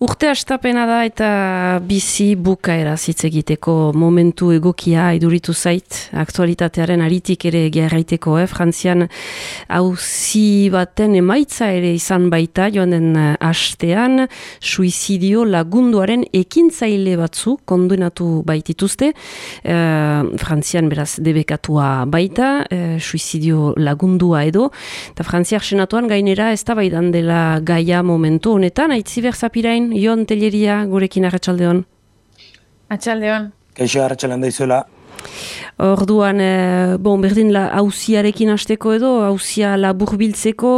Urte astapena da eta bizi bukaera hitz egiteko momentu egokia iduritu zait, aktualitatearen aritik ere gerraiteko, Frantzian auzi baten emaitza ere izan baita joan den astean, suizidio lagunduaren ekintzaile batzu kondenatu baitituzte, Frantzian beraz debekatua baita, suizidio lagundua edo, eta Frantziar senatuan gainera eztabaidan dela gaia momentu honetan, aitziber zapirain, Jon Telleria gurekin arratsaldeon. Arratsaldeon. Kaixo arratsaldean daizuela. Orduan, berdin auziarekin hasteko edo, auzia laburbiltzeko,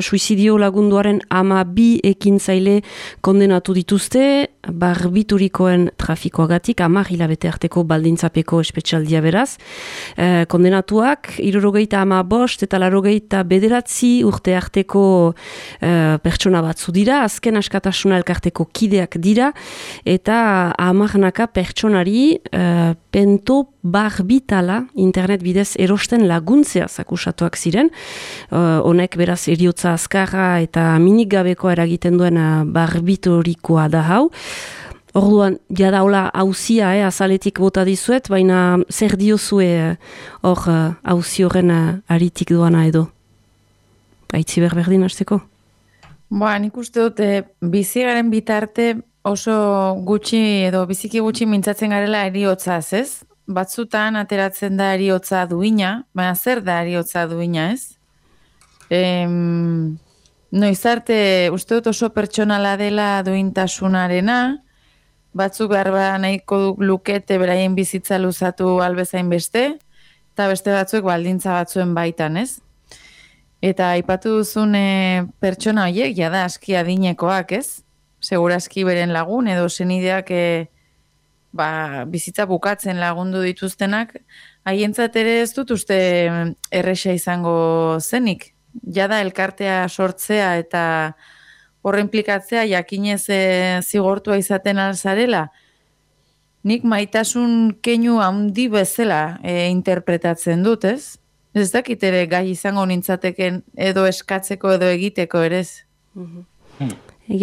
suizidio lagunduaren 12 ekintzaile kondenatu dituzte, barbiturikoen trafikoagatik, 10 hilabete arteko baldintzapeko espetxaldia beraz. Kondenatuak, 75 eta 89 urte arteko pertsona batzu dira, azken askatasuna elkarteko kideak dira, eta 10 pertsonari pento barbitala internet bidez erosten laguntzea akusatuak ziren. Honek beraz eriotza azkarra eta minik gabekoa eragiten duen barbiturikoa da hau. Orduan, jadaula auzia, azaletik bota dizuet, baina zer diozue hor auzi horren aritik doana edo? Aitziber berdin hasteko? Nik uste dut, bizigaren bitarte oso gutxi edo biziki gutxi mintzatzen garela eriotzaz, ez? Batzutan ateratzen da eriotza duina, baina zer da eriotza duina, ez? Noiz arte, uste dut oso pertsonala dela duintasunarena, batzuk garba nahiko lukete beraien bizitza luzatu albezain beste, eta beste batzuek baldintza batzuen baitan, ez? Eta aipatu duzun pertsona horiek, jada aski adinekoak, ez? Segurazki beren lagun edo senideak bizitza bukatzen lagundu dituztenak, haientzat ere ez dut uste erresa izango zenik. Jada elkartea sortzea eta horre implikatzea jakinez zigortua izaten alzarela, nik maitasun keinu handi bezala interpretatzen dut, ez? Ez dakit ere gai izango nintzateken edo eskatzeko edo egiteko ere ez.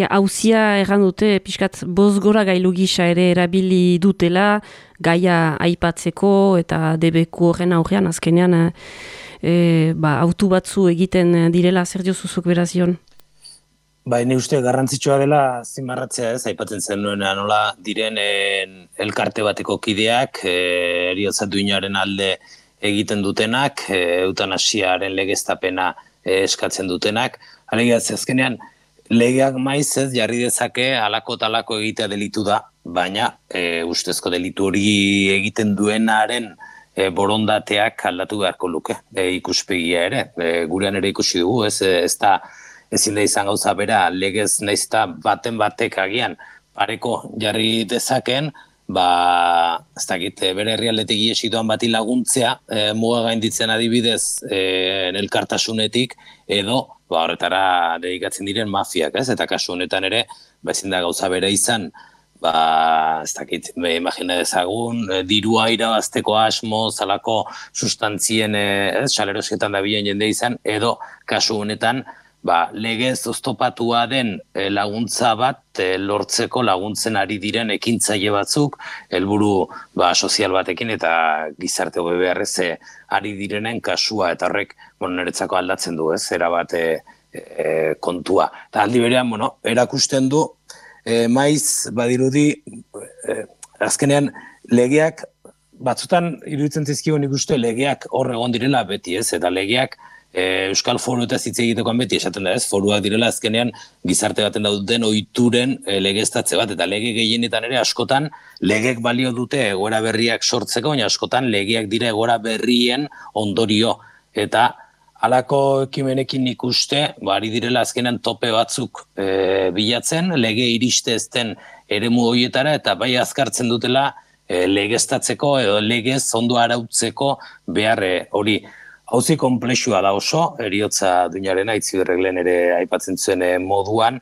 Auzia erran dute, pixkat bozgora gailu gisa ere erabili dutela, gaia aipatzeko eta debeku horren aurrean, azkenean autu batzu egiten direla, zer diozuzuk beraz Jon? Ni uste garrantzitsua dela zimarratzea, ez, aipatzen zen nuena nola diren elkarte bateko kideak, eriotza duinaren alde egiten dutenak, eutanasiaren legeztapena eskatzen dutenak, alegia azkenean, legeak maiz ez jarri dezake halako talako egitea delitu da, baina ustezko delitu hori egiten duenaren borondateak aldatu beharko luke, ikuspegia ere, gurean ere ikusi dugu, ez da ezin da izan gauza bera, legez naizta baten batek agian pareko jarri dezaken, ez dakit, bere herrialdetik iesi doan bati laguntzea, muga gainditzen adibidez elkartasunetik, edo horretara dedikatzen diren mafiak, ez? Eta kasu honetan ere, ezin da gauza bere izan, ez dakit, imagina dezagun, dirua irabazteko asmo, zalako sustantzien, salerosketan da bilen jende izan, edo kasu honetan, legez oztopatua den laguntza bat lortzeko laguntzen ari diren ekintzaile batzuk, helburu sozial batekin eta gizarte hobe beharrez ari direnen kasua, eta horrek niretzako aldatzen du, ez, erabat kontua. Eta aldi berean, erakusten du, maiz badirudi, azkenean legeak, batzutan iruditzen zizkigun ikuste legeak hor egon direla beti, ez, eta legeak Euskal Foru eta hitz egitekoan beti esaten da, ez, foruak direla azkenean gizarte baten dauden ohituren legeztatze bat, eta lege gehienetan ere askotan legek balio dute egoera berriak sortzeko, baina askotan legeak dira egoera berrien ondorio, eta halako ekimenekin ikuste, ari direla azkenean tope batzuk bilatzen, lege iriste ezten eremu horietara, eta bai azkartzen dutela legeztatzeko edo legez ondo arautzeko behar hori. Hauzi konplexua da oso, eriotza duinarena, Itziberreglen ere aipatzen zuen moduan,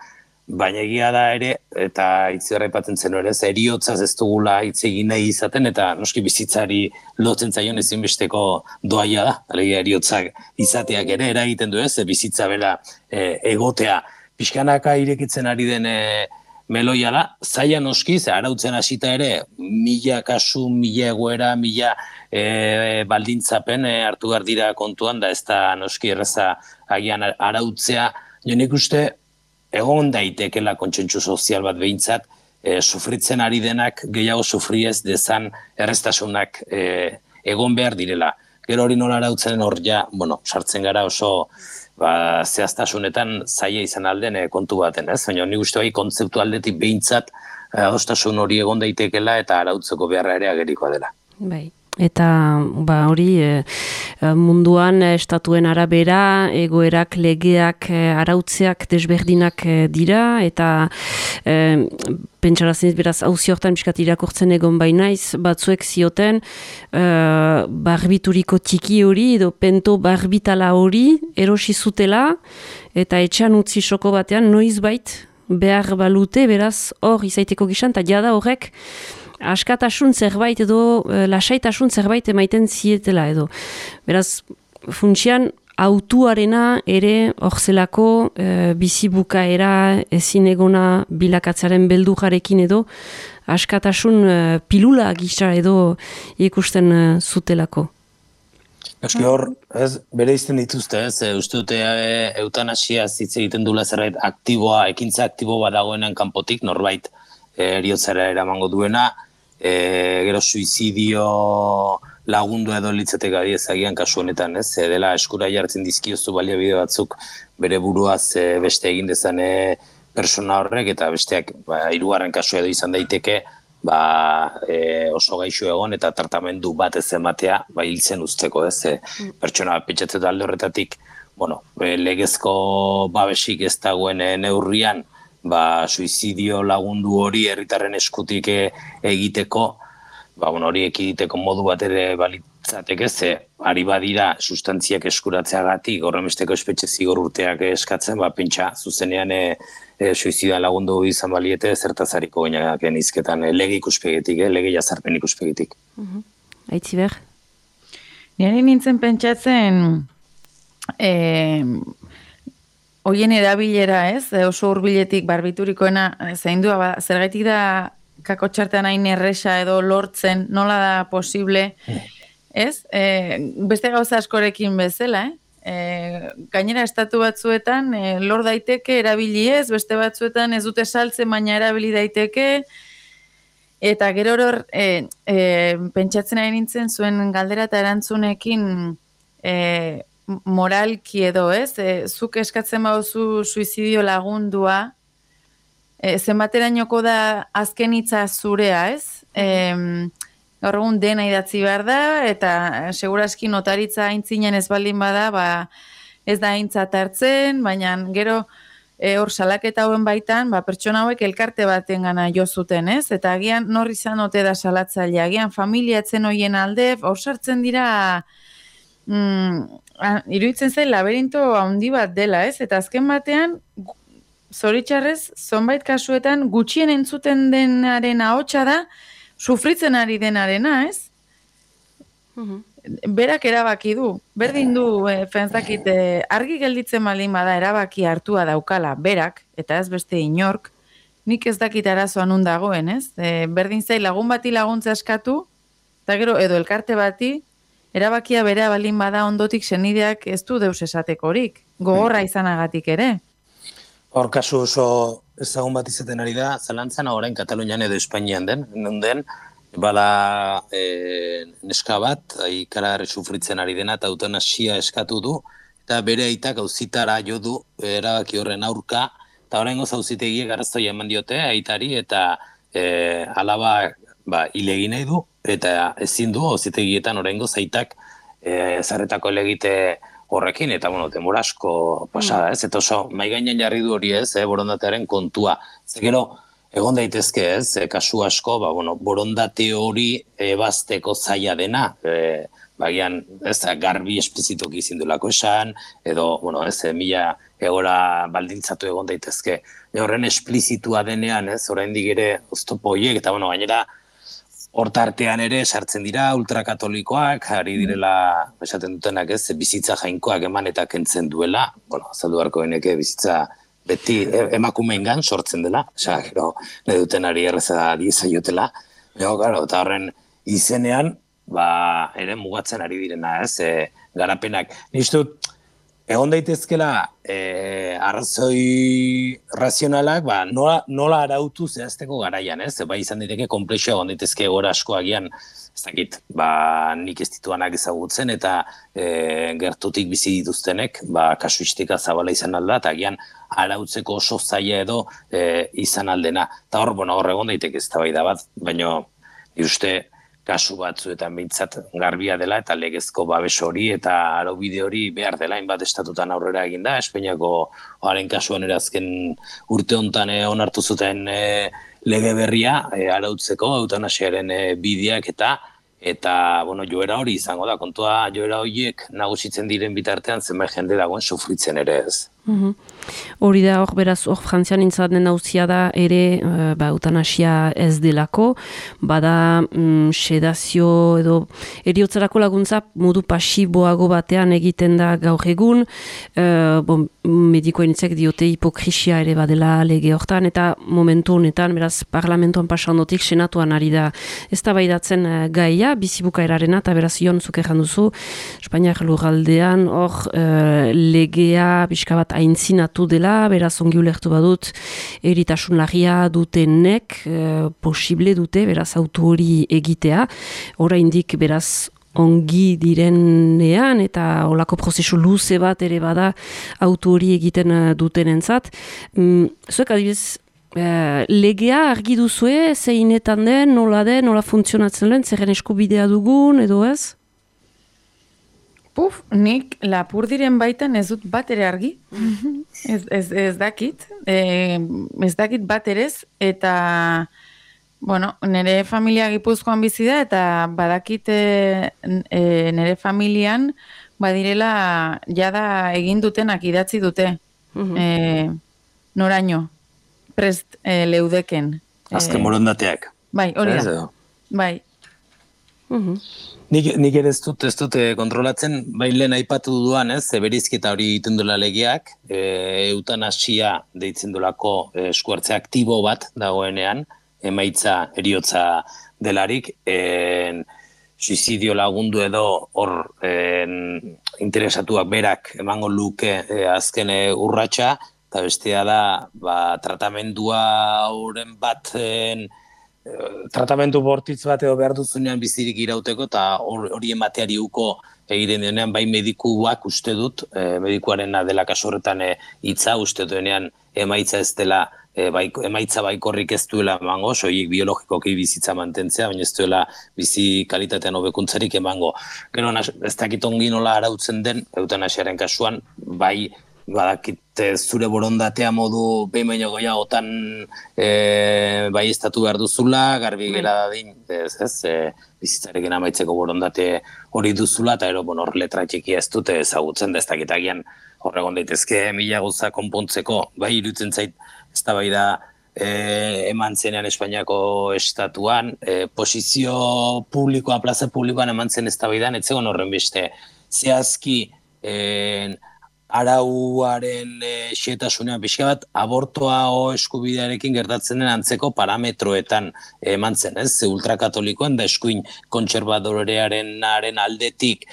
baina egia da ere, eta Itziberra aipatzen zen ere, eriotzaz ez dugula hitz egin nahi izaten, eta noski bizitzari lotzen zaion ezinbesteko doaia da, alegia eriotzak izateak ere eragiten du ez, bizitza bera egotea. Pixkanaka irekitzen ari den meloia da, zaila noski, ze arautzen hasita ere, 1000 kasu, 1000 egoera, 1000 baldintzapen hartu behar dira kontuan, da ez da noski erraza agian arautzea, jo nik uste egon daitekela kontsentsu sozial bat behintzat, sufritzen ari denak gehiago sufriez dezan erreztasunak egon behar direla. Gero hori nola arautzen hor ja, sartzen gara oso zehaztasunetan zaila izan alden kontu baten, ez? Baina nik uste bai kontzeptu aldetik behintzat adostasun hori egon daitekela eta arautzeko beharra ere agerikoa dela. Bai. Eta hori munduan estatuen arabera egoerak, legeak, arautzeak desberdinak dira eta pentsarazen beraz auzi hortan biskat irakurtzen egon bainaiz batzuek zioten barbituriko txiki hori edo pento barbitala hori erosi zutela eta etxean utzi soko batean noizbait behar balute beraz hor izaiteko gizan eta jada horrek askatasun zerbait edo lasaitasun zerbait emaiten zietela edo. Beraz, funtsian autuarena ere orzelako bizibukaera ezin egona bilakatzaren beldurrarekin edo askatasun pilula gisa edo ikusten zutelako. Eski hor, bere izten dituzte, uste dute eutanasia hitz egiten dula zerbait aktiboa, ekintza aktibo bat dagoenan kanpotik, norbait eriotzara eramango duena, gero suizidio lagundu edo litzateka agian kasu honetan, dela eskura jartzen dizkiozu baliabide batzuk bere buruaz beste egin dezan persona horrek, eta besteak hirugarren kasu edo izan daiteke oso gaixo egon eta tratamendu bat ez ematea hiltzen usteko, pertsona pentsatzen alde horretatik, legezko babesik ez dagoen neurrian, suizidio lagundu hori herritarren eskutik egiteko, hori ekiditeko modu bat ere balitzateke, ze ari badira sustantziak eskuratzeagatik horremesteko espetxe zigor urteak eskatzen, pentsa zuzenean suizidioan lagundu izan baliete zertazariko gainaken izketan lege ikuspegitik, lege jazarpen ikuspegitik. Aitziber? Nire nintzen pentsatzen hoien erabilera, oso hurbiletik barbiturikoena zaindua, zergaitik da kakotxartean hain erresa edo lortzen, nola da posible, beste gauza askorekin bezala, gainera estatu batzuetan lor daiteke erabili ez, beste batzuetan ez dute saltzen, baina erabili daiteke, eta gero hor pentsatzen ari nintzen zuen galdera eta erantzunekin moralki edo, zuk eskatzen bauzu suizidio lagundua, zenbaterainoko da azken hitza zurea, gaur egun dena idatzi behar da, eta seguraski notaritza aintzinen ez baldin bada, ez da aintzat hartzen, baina gero hor salaketa hauen baitan, pertsona hauek elkarte baten gana jo zuten, eta agian nor izan ote da salatzaile, agian familiatzen hoien alde, hor sartzen dira iruditzen zain laberinto handi bat dela, eta azken batean zoritxarrez, zonbait kasuetan gutxien entzuten denaren ahotsa da sufritzen ari denarena, Berak erabaki du, berdin du pentsakit argi gelditzen baldin bada erabaki hartua daukala berak, eta ez beste inork, nik ez dakit arazoa nun dagoen, berdin zain lagun bati laguntza eskatu, eta gero edo elkarte bati erabakia berea baldin bada ondotik senideak ez du deus esatekorik, gogorra izanagatik ere. Hor kasu oso ezagun bat izaten ari da, zalantzan orain Katalunian edo Espainian den, bala neska bat, ikara sufritzen ari dena, eta eutanasia eskatu du, eta bere aitak auzitara jo du erabaki horren aurka, eta orain goz auzitegiek arrazoia eman diote aitari, eta alaba hile egin nahi du, eta ezin du auzitegietan orain goz aitak zarretako elegite horrekin, eta demora asko pasada, eta oso maigainan jarri du hori borondatearen kontua. Zegero, egon daitezke kasu asko, borondate hori ebazteko zaila dena, bagian, garbi esplizitoki izin duelako esan, edo, mila egora baldintzatu egon daitezke. Horren esplizitua denean, oraindik ere oztopo horiek, eta, gainera, hortartean ere sartzen dira ultrakatolikoak, ari direla esaten dutenak bizitza jainkoak eman eta kentzen duela, azaldu beharko geneke bizitza beti emakumeengan sortzen dela, osea, gero, nahi duten ari erreza diezaiotela, claro, eta horren izenean, ere mugatzen ari direna, garapenak. Niztut, egon daitezkela arrazoi razionalak, nola arautu zehazteko garaian, bai izan diteke komplexua egon daitezke gora asko agian, ez dakit, nik ez dituanak ezagutzen eta gertutik bizi dituztenek, kasuistika zabala izan alda, eta agian arautzeko oso zaila edo izan aldena. Eta hor egon daiteke ez da bai da bat, baina uste kasu batzuetan behintzat garbia dela eta legezko babes hori eta araubide hori behar dela, hainbat estatutan aurrera eginda, Espainiako haren kasuan azken urte hontan onartu zuten lege berria arautzeko eutanasiaren bideak eta joera hori izango da, kontua joera horiek nagusitzen diren bitartean zenbait jende dagoen sufritzen ere ez. Hori da, beraz, Frantzian intzaten nauzia da ere eutanasia ez delako, bada sedazio edo eriotzarako laguntza modu pasiboago batean egiten da gaur egun, medikoen itzek diote hipokrisia ere badela lege hortan, eta momentu honetan, beraz, parlamentoan pasandotik senatuan ari da eztabaidatzen gaia, bizibukaerarena, eta beraz, Ion zuk erran duzu, Espainiak lurraldean, hor legea, pixka bat aintzinatu dela, beraz ongi ulertu badut, eritasun larria dutenek posible dute, beraz auto hori egitea, oraindik beraz ongi direnean eta olako prozesu luze bat ere bada auto hori egiten dutenentzat. Zuek adibidez, legea argi duzue, zeinetan den, nola funtzionatzen den, zerren eskubidea dugun, edo ez? Nik Lapurdiren baitan ez dut bat ere argi, ez dakit, ez dakit bat erez, eta, nire familia Gipuzkoan bizi da, eta badakit nire familian, badirela jada egin dutenak idatzi dute, noraino, prest leudeken. Azken borondateak. Bai, hori da, bai. Nik ere ez dut kontrolatzen, bai lehen aipatu duan, berizketa hori egiten duela legeak, eutanasia deitzen duelako eskuartze aktibo bat dagoenean, emaitza eriotza delarik, suizidio lagundu edo hor interesatuak berak emango luke azken urratsa, eta bestea da tratamendua horren baten tratamendu bortitz bat edo behar duzunean bizirik irauteko eta hori emateari uko egiten denean bai medikuak uste dut, medikuaren dela kasu horretan hitza uste duenean emaitza ez dela, emaitza baikorrik ez duela emango, soilik biologikoki bizitza mantentzea, baina ez duela bizi kalitatean hobekuntzarik emango. Gero ez dakit ongi nola arautzen den eutanasiaren kasuan, bai badakit zure borondatea modu behin baino gehiagotan bai estatu behar duzula, garbi gera dadin, bizitzarekin amaitzeko borondate hori duzula, eta hor letra txiki ez dute ezagutzen, ez dakit agian horregon daitezke mila gauza konpontzeko, bai iruditzen zait eztabaida eman zenean Espainiako estatuan, posizio publikoa, plaza publikoan eman zen eztabaidan, etzegon horren beste zehazki arauaren xehetasunean pixka bat abortoa eskubidearekin gertatzen den antzeko parametroetan eman zen, ultrakatolikoen da eskuin kontserbadorearen aldetik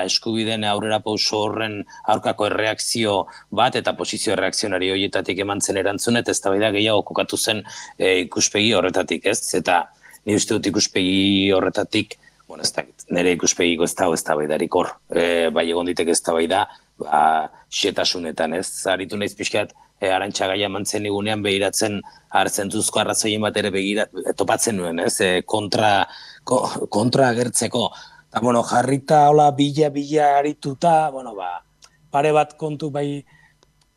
eskubideen aurrera pauso horren aurkako erreakzio bat eta posizio erreakzionari horietatik eman zen erantzun eta eztabaida gehiago kokatu zen ikuspegi horretatik, eta ni uste dut ikuspegi horretatik, ez dakit, nire ikuspegiko ez dago eztabaidarik hor, bai egon ditek eztabaida xetasunetan, aritu naiz pixkat Arantxa Gaia mantzen igunean behiratzen arzentzuzko arrazoien bat ere topatzen nuen, kontra agertzeko. Eta, jarrita hola bila arituta, pare bat kontu bai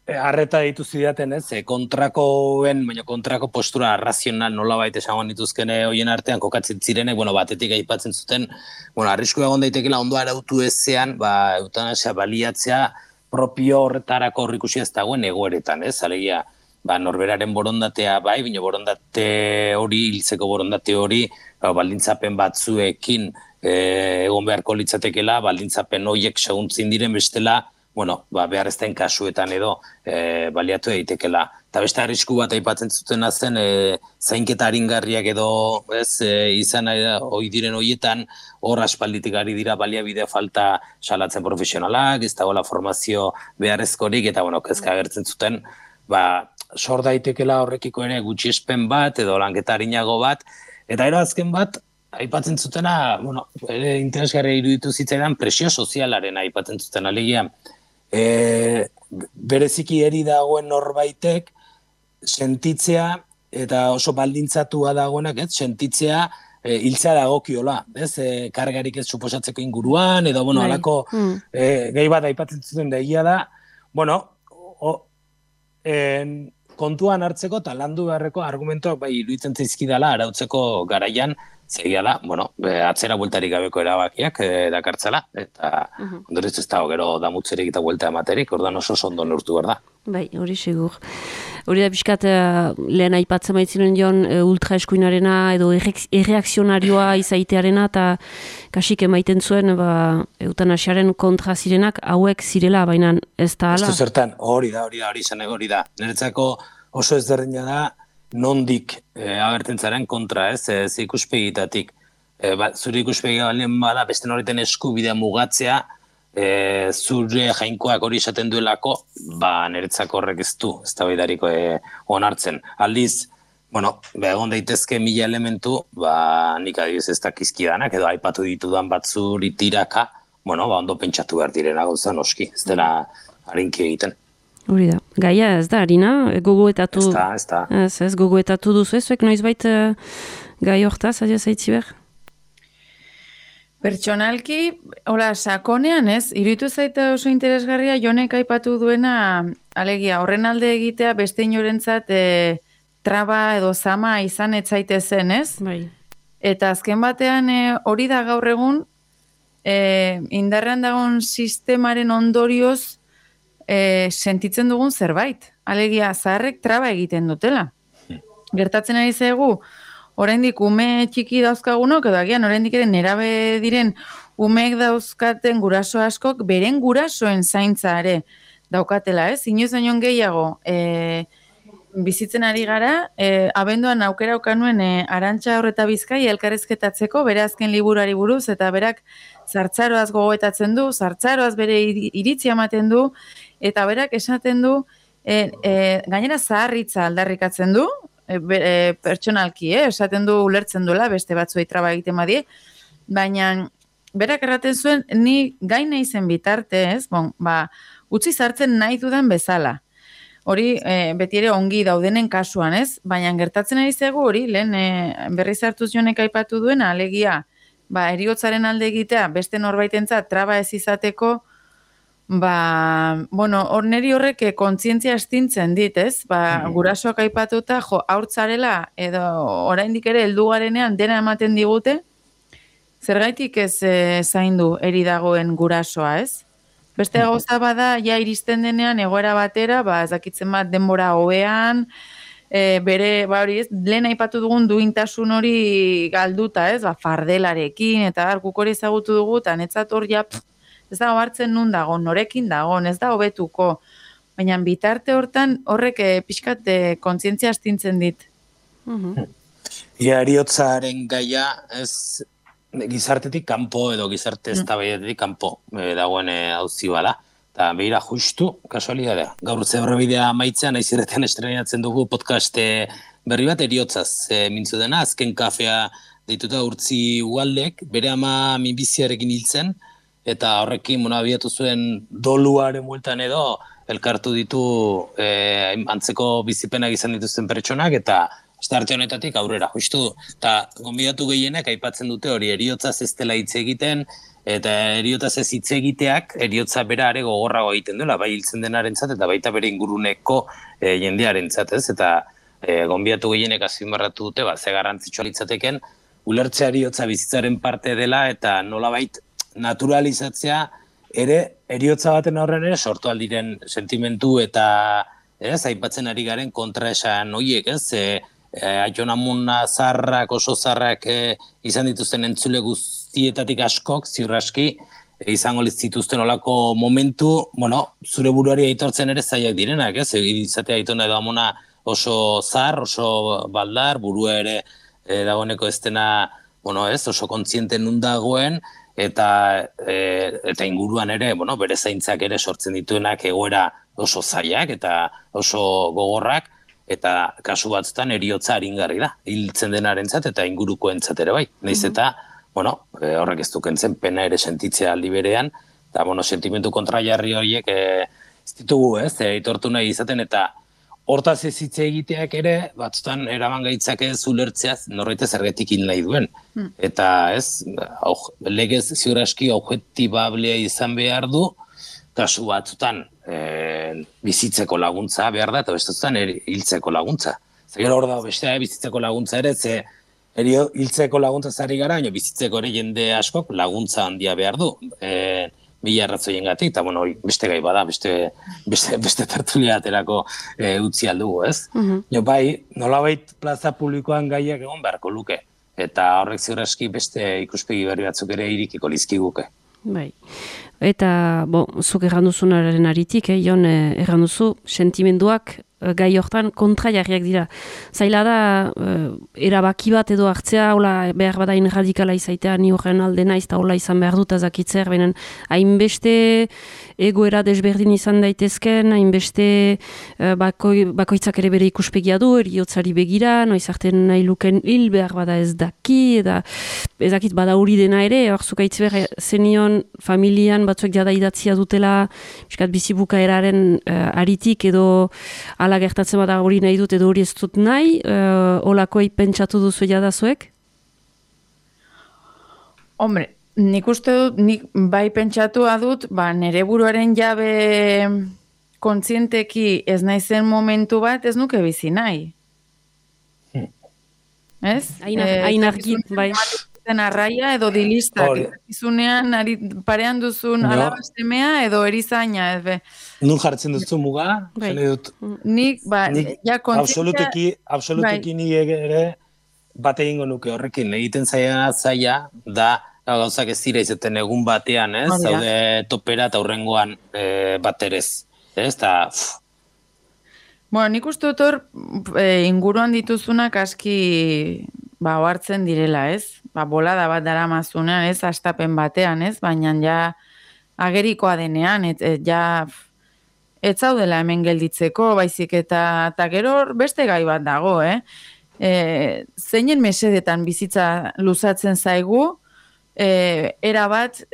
harreta ditu zidaten, kontrako postura razional nolabait esangoan dituzkene hoien artean kokatzen zirenek, batetik aipatzen zuten, arrisku egon daitekela ondo arautu ezean, eutanasia baliatzea propio horretarako horrikusi ez dagoen egoeretan, alegia, norberaren borondatea bai, bino borondate hori, hiltzeko borondate hori, baldintzapen batzuekin egon beharko litzatekela, baldintzapen horiek seguntzin diren bestela, bueno, behar ez den kasuetan edo baliatu eitekela. Eta beste arrisku bat aipatzen zutena zen, zainketa aringarriak edo izan ohi diren horietan, hor aspalditik ari dira baliabide falta salatzen profesionalak, ez dagoela formazio beharrezkorik, eta kezka agertzen zuten, sor daitekela horrekiko ere gutxiespen bat edo lanketa arinago bat, eta azken bat, aipatzen zutena, ere interesgarria iruditu zitzaidan presio sozialaren aipatzen zuten alegia. Bereziki eri dagoen norbaitek sentitzea, eta oso baldintzatua dagoenak, sentitzea hiltzea dagokiola, kargarik ez suposatzeko inguruan, edo, alako gehi bat aipatzen zuten egia da, kontuan hartzeko eta landu beharreko argumentuak iruditzen zaizkidala arautzeko garaian, zegia da, atzera bueltarik gabeko erabakiak dakartzela, eta ondorez ez dago gero damutzerik eta buelta ematerik, ordan oso ondo neurtu behar da. Bai, hori segur. Hori da pixkat lehen aipatzen baitzinen joan ultraeskuinarena edo erreakzionarioa izaitearena eta kasik emaiten zuen eutanasiaren kontra zirenak hauek zirela, baina ez da ala. Ez du zertan, hori da. Niretzako oso ezberdina da nondik agertzen zaren kontra, ez ikuspegitatik. Zure ikuspegi balen bada, beste noriten eskubidea mugatzea, zure jainkoak hori esaten duelako, niretzako horrek ez du, ez da baidariko onartzen. Aldiz, egon daitezke 1000 elementu, nik adibidez ez dakizkidanak, edo aipatu ditudan batzuri tiraka, ondo pentsatu behar direna gauza noski, ez dela harinki egiten. Hori da. Gaia ez da, Arina, gogoetatu... Ez da. Ez gogoetatu duzu ezuek, noizbait gai hortaz, adia zaitzi behar? Pertsonalki, hola, sakonean ez, iruditu zaita oso interesgarria Jonek aipatu duena, alegia, horren alde egitea beste inorentzat traba edo zama izan etzaitezen, ez? Bai. Eta azken batean hori da gaur egun, indarrean dagoen sistemaren ondorioz sentitzen dugun zerbait. Alegia, zaharrek traba egiten dutela. Gertatzen ari zaigu, oraindik ume txiki dauzkagunok, edo agian oraindik ere nerabe diren umeek dauzkaten guraso askok, beren gurasoen zaintza ere daukatela, ez? Inoiz baino gehiago bizitzen ari gara, abenduan aukera ukanuen Arantxa Horreta Bizkai elkarrizketatzeko, bere azken liburuari buruz, eta berak zartzaroaz gogoetatzen du, zartzaroaz bere iritzia ematen du, eta berak esaten du, gainera zaharritza aldarrikatzen du, pertsonalki, esaten du ulertzen duela, beste batzuei traba egiten badie, baina berak erraten zuen, ni gaina izen bitarte, ez, utzi zartzen nahi dudan bezala. Hori beti ere ongi daudenen kasuan, ez? Baina gertatzen ari zaigu hori, lehen berriz hartuz Jonek aipatu duena, alegia, heriotzaren alde egitea, beste norbaitentzat traba ez izateko, hor neri horrek kontzientzia estintzen dit, ez? Gurasoak aipatuta, haurtzarela, edo oraindik ere heldu garenean dena ematen digute, zergaitik ez zaindu eri dagoen gurasoa, ez? Beste gauza bada, ja iristen denean egoera batera, ez dakitzen bat denbora hobean, bere, hori ez, lehen aipatu dugun duintasun hori galduta, ez, fardelarekin, eta guk hori ezagutu dugu, eta netzat hor ja, ez da hartzen nun dago, norekin dago, ez da hobetuko, baina bitarte hortan horrek pixkat kontzientzia astintzen dit. Heriotzaren gaia ez gizartetik kanpo edo gizarte eztabaidatik kanpo dagoen auzi bada. Eta behira justu, kasualidadea. Gaur zerbidea amaitzean, naiz irratian estrenatzen dugu podcast berri bat heriotzaz mintzu dena, azken kafea deituta Urtzi Ualdek, bere ama minbiziarekin hiltzen, eta horrekin abiatu zuen doluaren bueltan edo elkartu ditu antzeko bizipenak izan dituzten pertsonak, eta arte honetatik aurrera, justu, eta gonbidatu gehienek aipatzen dute hori heriotzaz ez dela hitz egiten, eta heriotzaz ez hitz egiteak, heriotza bera are gogorrago egiten duela, bai hiltzen denarentzat eta baita bere inguruneko jendearentzat, ez? Eta gonbidatu gehienek azpimarratu dute, ze garrantzitsua litzateken, ulertzea heriotza bizitzaren parte dela, eta nolabait naturalizatzea ere heriotza baten aurren ere sortu aldiren sentimentu eta aipatzen ari garen kontraesan horiek, ez? Aiton amuna zarrak, oso zarrak izan dituzten entzule guztietatik askok, ziurraski, izango zituzten olako momentu, zure buruari aitortzen ere zaiak direnak, ez? Izatea aitona edo amona oso zar, oso baldar, burua ere dagoeneko ez dena, oso kontziente nun dagoen, eta inguruan ere, bere zaintzak ere sortzen dituenak egoera oso zaiak eta oso gogorrak, eta kasu batzutan eriotza aringarri da, hiltzen denarentzat eta ingurukoentzat ere bai. Naiz eta, horrek ez dukentzen pena ere sentitzea aldi berean, eta, sentimentu kontrajarri horiek ez ditugu, aitortu nahi izaten, eta hortaz ez hitz egiteak ere, batzutan eraman gaitzake ulertzeaz norbait zergatik hil nahi duen. Eta legez ziur aski objektibablea izan behar du, kasu batzutan bizitzeko laguntza behar da, eta bestetan hiltzeko laguntza. Zer hor da, bestea bizitzeko laguntza ere, hiltzeko laguntza zari gara, bizitzeko ere jende askok laguntza handia behar du. Mila arrazoien gatik, eta beste gai bada, beste tertulia aterako utzi aldugu, ez? Bai, nolabait plaza publikoan gaiak egon beharko luke, eta horrek ziur aski beste ikuspegi berri batzuk ere irikiko lizkiguke. Bai, eta, zuk erranduzunaren aritik, Jon, erranduzu, sentimenduak gai hortan kontrajarriak dira. Zaila da, erabaki bat edo hartzea, hola behar badain radikala izaitea, ni horren alde naiz, eta hola izan behar dut azakitzer, benen hainbeste egoera desberdin izan daitezken, hainbeste bakoitzak ere bere ikuspegia du, eriotzari begira, noiz arten nahi luken hil behar bada ez daki, ez dakit bada hori dena ere, hor zukaitz behar zenion familian batzuek jada idatzia dutela, miskat bizibuka eraren aritik edo ala gertatzen bada hori nahi dut edo hori ez dut nahi, holakoi pentsatu duzu jadazuek? Hombre, nik uste dut, nik bai pentsatua dut, nere buruaren jabe kontzienteki ez naizen momentu bat ez nuke bizi nahi. Ez? Hain argi, bai. Arraia edo dilistak, izunean parean duzun alabastemea edo erizaina, ez be. Nun jartzen duzu muga? Nik, ja kontzientzia... Absoluteki ni ere bat egingo nuke horrekin, egiten zaila da gauzak ez dira izaten egun batean, ez? Zaude topera eta hurrengoan baterez, ez? Nik uste dut hor inguruan dituzunak aski ohartzen direla, ez? Bolada bat daramazuna, ez? Astapen batean, ez? Baina ja agerikoa denean, ez zaudela hemen gelditzeko, baizik eta gero beste gai bat dago, zeinen mesedetan bizitza luzatzen zaigu, erabat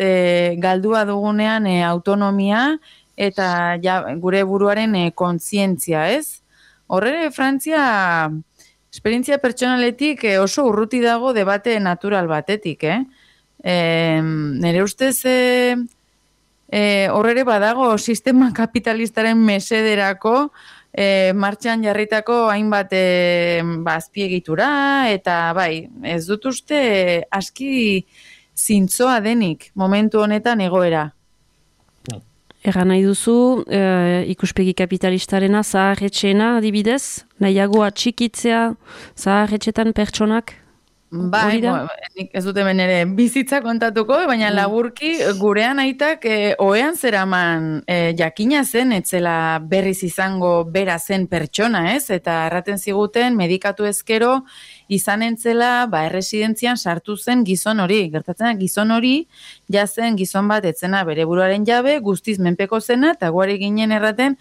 galdua dugunean autonomia eta gure buruaren kontzientzia, ez? Horre, Frantzia esperientzia pertsonaletik oso urruti dago debate natural batetik, Nere ustez horre badago sistema kapitalistaren mesederako martxan jarritako hainbat azpiegitura, eta bai, ez dut uste aski zintzoa denik momentu honetan egoera. Erra nahi duzu, ikuspegi kapitalistarena zaharretxeena adibidez, nahiago atxikitzea zaharretxetan pertsonak? Bai, nik ez dut hemen ere bizitza kontatuko, baina laburki gurean aitak ohean zeraman jakina zen, etzela berriz izango bera zen pertsona, ez? Eta erraten ziguten medikatu ezkero izan entzela erresidentzian sartu zen gizon hori. Gertatzen gizon hori jazen gizon bat etzena bere buruaren jabe, guztiz menpeko zena, eta guari ginen erraten,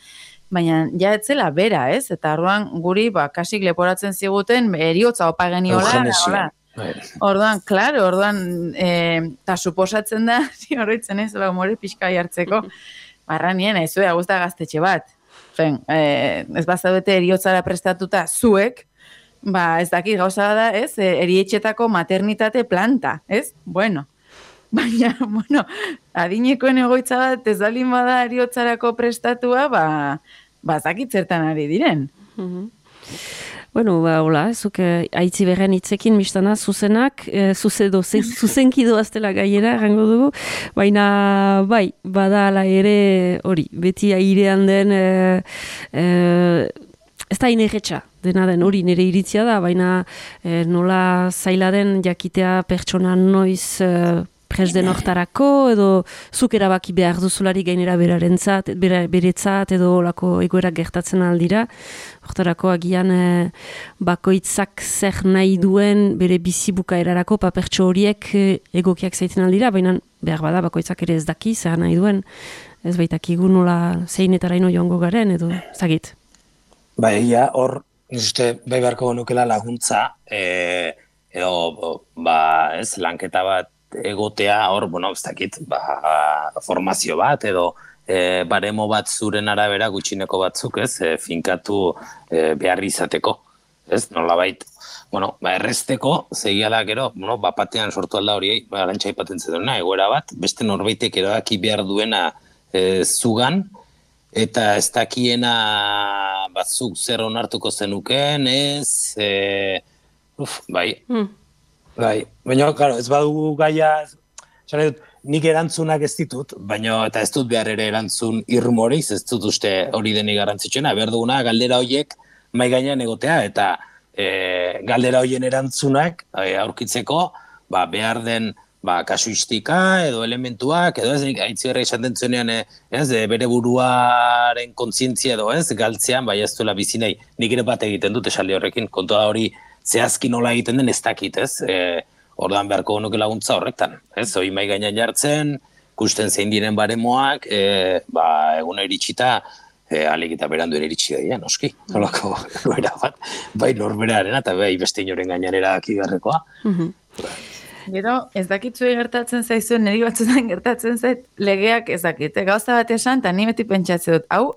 baina ja etzela bera, ez? Eta orduan guri kasik leporatzen ziguten eriotza opa geniola. Orduan, eta suposatzen da, horretzen ez, more pixka jartzeko, barranien, ez zuea guzta gaztetxe bat. Ez bazaudete eriotzara prestatuta zuek, ez dakit gauza da, ez, erietxetako maternitate planta, ez? Baina, adinekoen egoitza bat ez dalin bada eriotzarako prestatua, ez dakit zertan ari diren. Hola, zuk haitzi berren hitzekin biztana zuzenak, zuzenki doaztela gaiera, errango dugu, baina bai, bada ala ere hori, beti airean den, ez da inerretxa, dena den hori nire iritzia da, baina nola zaila den jakitea pertsona noiz presden hortarako, edo zuk erabaki behar duzulari gainera beretzat, edo olako egoerak gertatzen aldira. Hortarako agian bakoitzak zer nahi duen bere bizi bukaerarako papertxo horiek egokiak zaiten aldira, baina behar bada bakoitzak ere ez daki zer nahi duen. Ez baitakigu nola zeinetaraino joango garen, edo zagit. Bai, hor, uste, bai beharko nukela laguntza, edo, ez, lanketa bat egotea, hor, ez dakit, formazio bat, edo, baremo bat zuren arabera gutxineko batzuk, ez, finkatu behar izateko, ez, nolabait, errezteko, zegia da gero, batean sortu alda horiei, arantxa ipaten zeduna, egoera bat, beste norbaitek erabaki behar duena zugan, eta ez dakiena batzuk zer onartuko zenuken, ez, bai. Baina, claro, ez badugu gaia, nik erantzunak ez ditut, baina eta ez dut behar ere erantzun irmoriz, ez dut uste hori denik garrantzitsuena, behar duguna galdera horiek mai gainean egotea, eta galdera horien erantzunak aurkitzeko, behar den kasuistika edo elementuak, edo ez aitzigarra esaten zuenean, bere buruaren kontzientzia edo ez, galtzean, ez duela bizi nahi, nik ere bat egiten dut esaldi horrekin, kontua hori zehazki nola egiten den ez dakit, ez, ordan beharko nuke laguntza horretan, ez, hori mai gainean jartzen, kusten zein diren baremoak, eguna iritsita, alik eta beranduen iritsi daia, noski, nolako goera bat, bai norberaren eta bai beste inoren gainean erabaki beharrekoa. Gero, ez dakitzu gertatzen zaizuen, niri batzutan gertatzen zait, legeak ez dakit, gauza bat esan, eta ni beti pentsatze dut, hau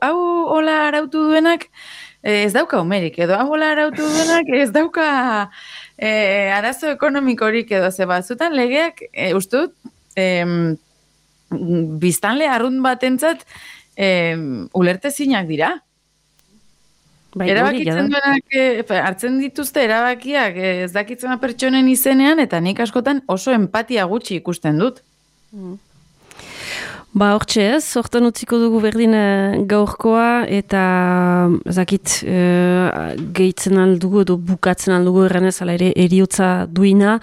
hola arautu duenak, ez dauka umerik, edo hau hola arautu duenak, ez dauka arazo ekonomikorik edo ze batzutan legeak, ustut, biztanle arrunt batentzat ulertezinak dira. Erabakitzen duenak, hartzen dituzte erabakiak ez dakitzen pertsonen izenean, eta nik askotan oso empatia gutxi ikusten dut. Hortxe ez, hortan utziko dugu berdin gaurkoa, eta zakit gehitzen aldugu edo bukatzen aldugu erranez, ala ere eriotza duina,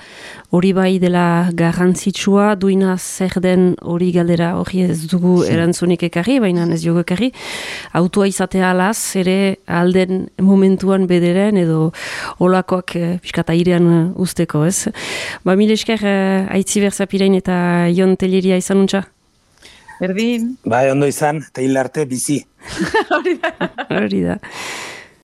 hori bai dela garrantzitsua, duina zer den hori galdera hori ez dugu erantzunik ekarri, baina ez dugu ekarri, autua izatea alaz, ere alden momentuan bederen edo olakoak piskata irean usteko, ez? Mil esker Aitzi Berzapirein eta Jon Telleria izan untxa? Berdin. Bai, ondo izan, eta hil arte bizi. Hori da.